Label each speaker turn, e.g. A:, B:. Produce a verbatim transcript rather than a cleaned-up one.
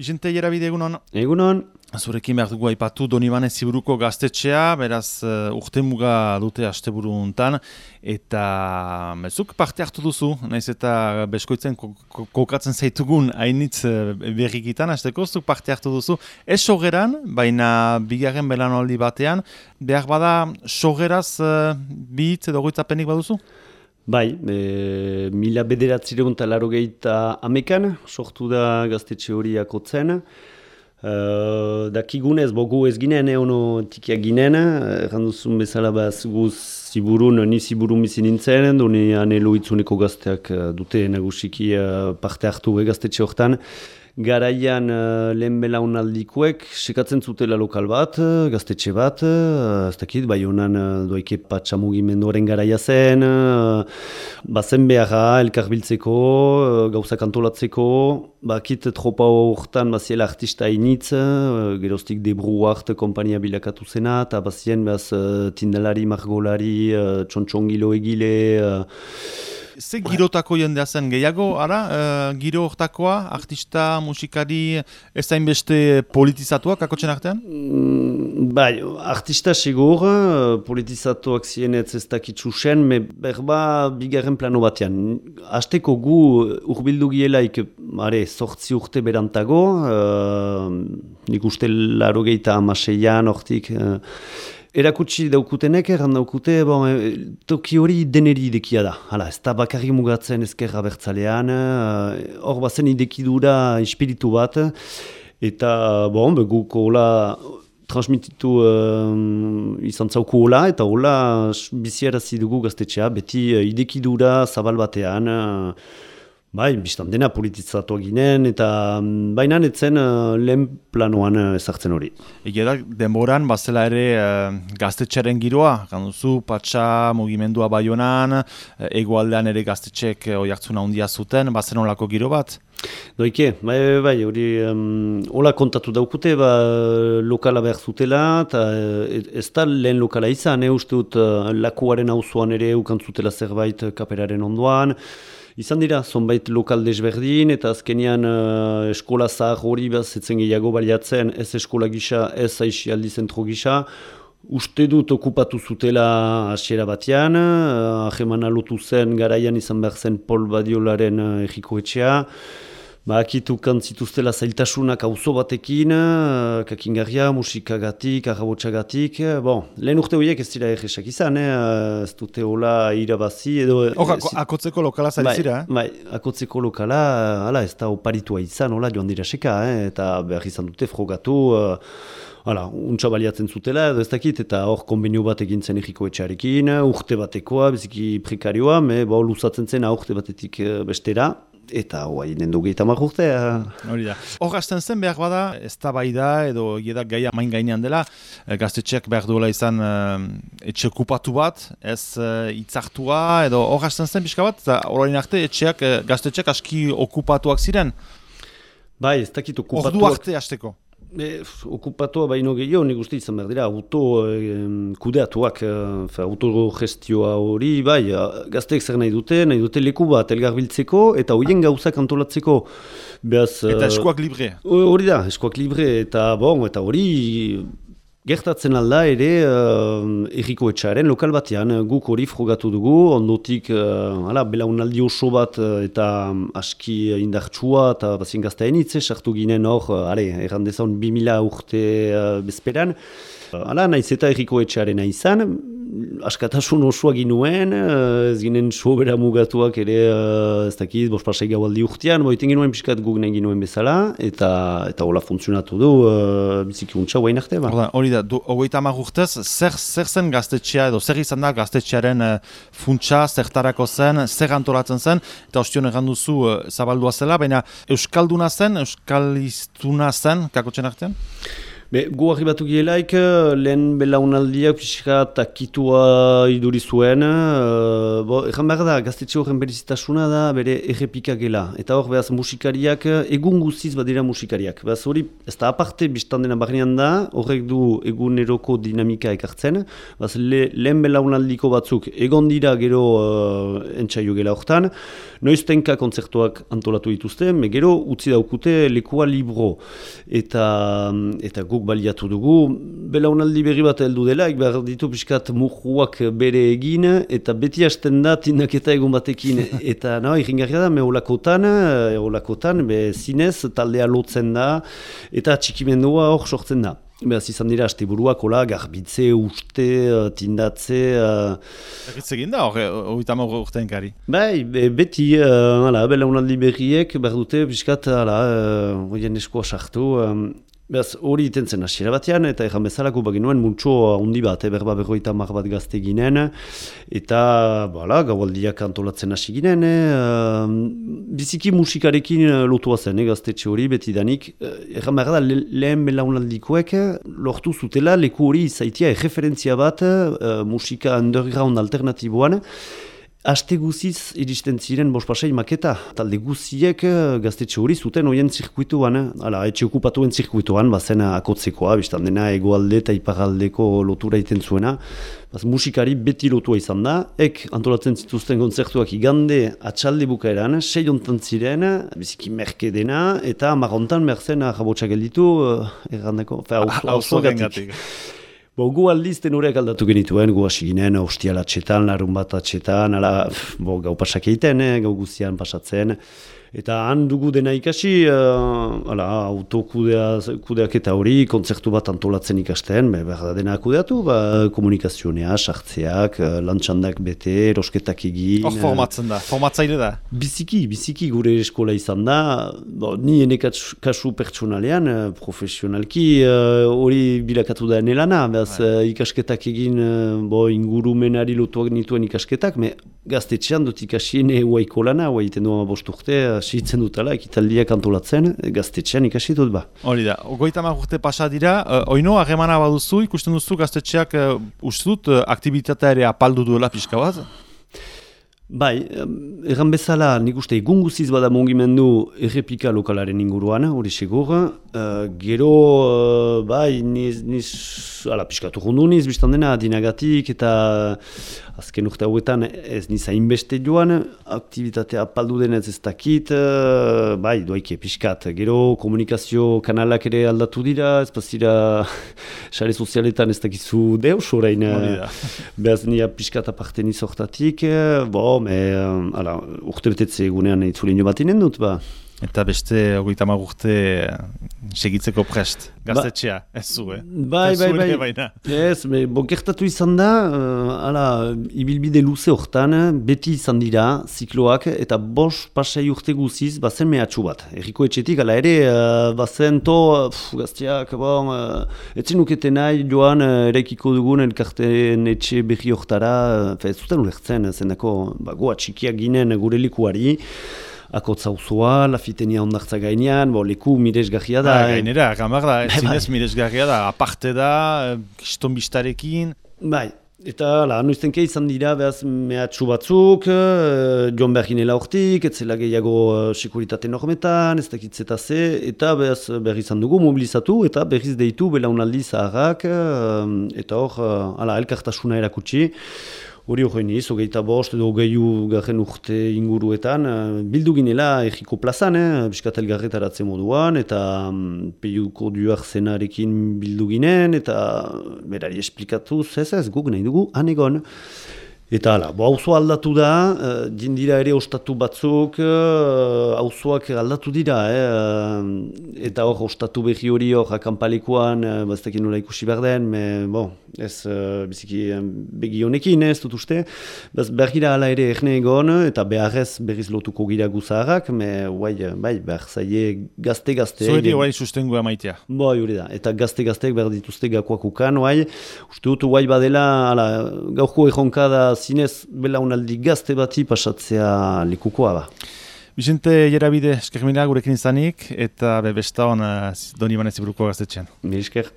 A: Vicente Ierabide, egunon.
B: Egunon.
A: Zurekin behar dugu aipatu Donibane Ziburuko gaztetxea, beraz uh, urtemuga dute asteburu hontan, eta zuk parte hartu duzu, naiz eta beskoitzen kokatzen zaitugun hainitz uh, berrikitan, hasteko zuk parte hartu duzu. Ez sogeran, baina bigarren belanaldi batean, behar bada sogeraz uh, bi hitz edo goitzapenik baduzu?
B: Bai, e, mila bederatzireun eta laro gehieta amekan, sortu da gaztetxe hori akotzen. Uh, dakigunez, bogu ez ginen, ono tikiak ginen, erranduzun bezala baz guz ziburun, ni ziburun bizi nintzen, doni anelo itzuneko gazteak dute nagusiki uh, parte hartu gaztetxe hortan. Garaian uh, lehen belaunaldikoek sekatzen zutela lokal bat, gaztetxe bat, uh, ez dakit, bai honan uh, doike patxa mugimenduaren garaia zen, uh, bazen beharra elkarbiltzeko, uh, gauzak antolatzeko, bakit tropa horretan baziela artista initz, uh, geroztik Debruart kompania bilakatu zena, eta bazien baz uh, tindalari, margolari, uh, txontxongilo egile, uh,
A: Ze girotako jendea zen gehiago, ara, uh, giro hortakoa, artista, musikari, ez da inbeste politizatuak, akotzen artean?
B: Mm, bai, artista segur, politizatuak zienetz ez dakitzu zen, me berba bigarren plano batean. Hasteko gu urbildu gielaik, are, sortzi urte berantago, uh, nik uste laro gehieta amaseian, hortik, uh, erakutsi daukutenek, erran daukute, bon, toki hori deneri idekia da. Hala, ez da bakarri mugatzen ezkerra bertzalean, hor uh, bazen idekidura espiritu bat, eta bon, guko hola transmititu uh, izan zauku hola, eta hola biziarazi dugu gaztetxea, beti uh, idekidura zabal batean, uh, bai, biztan dena politizatu ginen, eta baina netzen uh, lehen planoan uh, ezartzen hori.
A: Egia da, denboran, bazela ere uh, gaztetxearen giroa, ganduzu, patxa, mugimendua Baionan, uh, egoaldean ere gaztetxek uh, oiartzuna handia zuten, bazen olako giro bat?
B: Doike, bai, bai, hori um, hola kontatu daukute, ba, lokala behar zutela, eta ez da lehen lokala izan, eh, uste dut uh, lakuaren auzoan ere ukantzutela zerbait kaperaren ondoan. Izan dira, zonbait lokal desberdin, eta azkenean uh, eskola zahar hori behazetzen gehiago baliatzen, ez eskola gisa, ez aixialdi zentro gisa. Uste dut okupatu zutela hasiera batean, uh, ahemana lotu zen garaian izan behar zen Pol Badiolaren uh, egiko etxea. Ba, akitu kantzituztela zailtasunak auzo batekin, uh, kakingarria, musikagatik, arrabotsagatik. Bon, lehen urte horiek ez dira egesak izan, eh? Ez dute hola irabazi edo...
A: Hor, ako, akotzeko lokala zarizira, eh?
B: Bai, akotzeko lokala, hala, ez da oparitua izan, hola, joan dira seka, eh? Eta behar izan dute frogatu, uh, hala, untsa baliatzen zutela, edo ez dakit, eta hor konbenio bat egin zen egiko etxarekin, urte batekoa, biziki prekarioa, me, ba, luzatzen zen urte batetik bestera. Eta hoai nendu gehieta marrurtea. Hori
A: da. Hor hasten zen behar bada, ez da bai da, edo egieda gaia main gainean dela, gaztetxeak behar duela izan uh, etxe okupatu bat, ez uh, itzartua, edo hor hasten zen pixka bat, eta horrein arte etxeak, uh, gaztetxeak aski okupatuak ziren?
B: Bai, ez dakit okupatuak.
A: Ordu arte hasteko.
B: E, okupatua baino gehiago, nik uste izan behar dira, auto eh, kudeatuak, eh, auto gestioa hori, bai, gazteek zer nahi dute, nahi dute leku bat elgarbiltzeko, eta horien gauzak antolatzeko. Beaz,
A: eta eskuak libre.
B: Hori da, eskuak libre, eta bon, eta hori... Gertatzen alda ere uh, erriko etxaren lokal batean, guk hori frogatu dugu, ondotik uh, ala, belaunaldi oso bat uh, eta um, aski indartsua eta bazien gaztean hitze, sartu ginen hor, uh, errandezan bi mila urte uh, bezperan. Uh, ala, naiz eta erriko etxaren izan, askatasun osoa ginuen, uh, ez ginen sobera mugatuak ere, uh, ez dakit, bospasai gaualdi urtean, boiten ginuen piskat guk nahi ginuen bezala, eta eta hola funtzionatu du, uh, biziki untsa guain arte, ba.
A: Hori da, hogeita hamar urtez, zer, zer zen gaztetxea, edo zer izan da gaztetxearen uh, funtsa, zertarako zen, zer antolatzen zen, eta ostion egan duzu uh, zabaldua zela, baina euskalduna zen, euskaliztuna zen, kakotzen artean?
B: Be, gu arribatu gielaik, lehen belaunaldiak pixka takitua iduri zuen. Uh, bo, Egan behar da, gaztetxe horren berizitasuna da bere errepika gela. Eta hor, behaz, musikariak, egun guziz badira musikariak. Behaz, hori, ez da aparte biztan dena barnean da, horrek du eguneroko dinamika ekartzen. Behaz, le, lehen belaunaldiko batzuk egon dira gero uh, entxaio gela hortan. Noiztenka kontzertuak antolatu dituzte, me gero utzi daukute lekua libro. Eta, eta guk baliatu dugu, belaunaldi berri bat heldu dela, behar ditu pixkat murruak bere egin, eta beti hasten da tindaketa egun batekin. Eta no, irringarria da, me olakotan, olakotan, be zinez taldea lotzen da, eta txikimendua hor sortzen da. Beraz izan dira, haste buruak, hola, garbitze, uste, tindatze...
A: Erritz egin da, hori tamo urtean kari?
B: Bai, be, beti, uh, ala, belaunaldi berriek, behar dute, pixkat, ala, horien uh, eskoa sartu, um, Beraz, hori iten zen hasiera batean, eta erran bezalako baginuen multxo handi bat, berba berroita mar bat gazte ginen, eta bala, gaualdiak antolatzen hasi ginen, eh, biziki musikarekin lotua zen, eh, gaztetxe hori betidanik. Erran behar da, le, lehen belaunaldikoek lortu zutela leku hori izaitia erreferentzia bat eh, musika underground alternatiboan, Aste guziz iristen ziren bospasei maketa. Talde guziek gaztetxe hori zuten hoien zirkuituan. Hala, etxe okupatuen zirkuituan, bazen akotzekoa, biztan dena egoalde eta iparaldeko lotura iten zuena. Baz, musikari beti lotua izan da. Ek antolatzen zituzten kontzertuak igande atxalde bukaeran, sei ontan ziren, biziki merke dena, eta marrontan merzen jabotxa gelditu, errandeko, fe, hauzo gatik. Bo, gu aldizten horiek aldatu genituen, gu hasi ginen, ostialatxetan, larun bat atxetan, ala, bo, gau pasak egiten, eh, gau guztian pasatzen. Eta han dugu dena ikasi, uh, ala, autokudeak eta hori, kontzertu bat antolatzen ikasten, be, behar da dena kudeatu, ba, komunikazionea, sartzeak, lantxandak bete, erosketak egin.
A: Hor formatzen da, formatzaile da?
B: Biziki, biziki gure eskola izan da, bo, ni ene kasu pertsonalean, profesionalki, hori uh, bilakatu da enelana, behaz uh, ikasketak egin, uh, bo, ingurumenari lotuak nituen ikasketak, me gaztetxean dut ikasien huaiko lana, hua iten duan bost urte, sitzen dutela, ekitaldiak antolatzen, gaztetxean ikasi dut ba.
A: Hori da, goita hamar urte pasa dira, uh, oino, harremana baduzu, ikusten duzu gaztetxeak uh, uste dut uh, aktivitatea ere apaldu duela pixka bat?
B: Bai, erran bezala, nik uste egun guziz bada mongimendu errepika lokalaren inguruan, hori segur. Uh, gero, uh, bai, niz, niz, ala, piskatu rundu niz, biztan dena, dinagatik, eta azken urte hauetan ez niz hainbeste joan, aktivitatea apaldu denez ez dakit, uh, bai, doaike piskat. Gero, komunikazio kanalak ere aldatu dira, ez bazira, sare sozialetan ez dakizu deus, orain, behaz nia piskat aparte niz hortatik, bo, me, ala, urte betetze egunean itzulin jo bat inen dut, ba.
A: Eta beste hogeita hamar urte segitzeko prest, gaztetxea, ba, ez zu, eh?
B: Bai, bai, bai, bai. Ez, bo, gertatu izan da, uh, ala, ibilbide luze hortan, beti izan dira, zikloak, eta bos pasai urte guziz, bazen mehatxu bat. Erriko etxetik, ala ere, uh, bazen to, pff, gazteak, bon, uh, etzen ukete nahi joan, uh, eraikiko dugun, elkarten etxe berri hortara, uh, ez zuten ulertzen, zendako, ba, goa txikiak ginen gure likuari, Akotza uzoa, lafitenia ondartza gainean, bo, leku miresgarria da.
A: Ah, gainera, gamar da, zinez miresgarria da, aparte da, kiston bistarekin.
B: Bai, eta la, noiztenke izan dira, behaz, mehatxu batzuk, uh, joan behar ginela hortik, etzela gehiago uh, sekuritate normetan, ez dakitzeta ze, eta behaz behar izan dugu mobilizatu, eta berriz deitu belaunaldi zaharrak, uh, eta hor, uh, ala, elkartasuna erakutsi. Hori horrein iz, hogeita bost edo hogeiu garen urte inguruetan, bildu ginela erriko plazan, eh, biskatel garretaratze moduan, eta um, peiuko duar zenarekin bildu ginen, eta berari esplikatu, ez ez, guk nahi dugu, anegon. Eta hala, bo, auzoa aldatu da, uh, dindira ere ostatu batzuk, uh, auzoak aldatu dira, eh, eta hor ostatu behi hori hor akampalekuan, uh, baztekin nola ikusi behar den, me, bo, ez uh, biziki um, begi honekin, ez dut uste, Baz, bergira hala ere erne egon, eta beharrez berriz lotuko gira guzaharrak, me, guai, bai, behar zaie gazte-gazte.
A: Zoeri guai sustengoa maitea.
B: Bo, hori da, eta gazte-gazteek behar dituzte gakoak ukan, guai, uste dut guai badela, hala, gaurko erronka da zinez belaunaldi gazte bati pasatzea likukoa ba.
A: Vicente Jerabide, eskermina gurekin izanik, eta besta hon Doni Banez Iburuko gaztetxean.
B: Mi esker.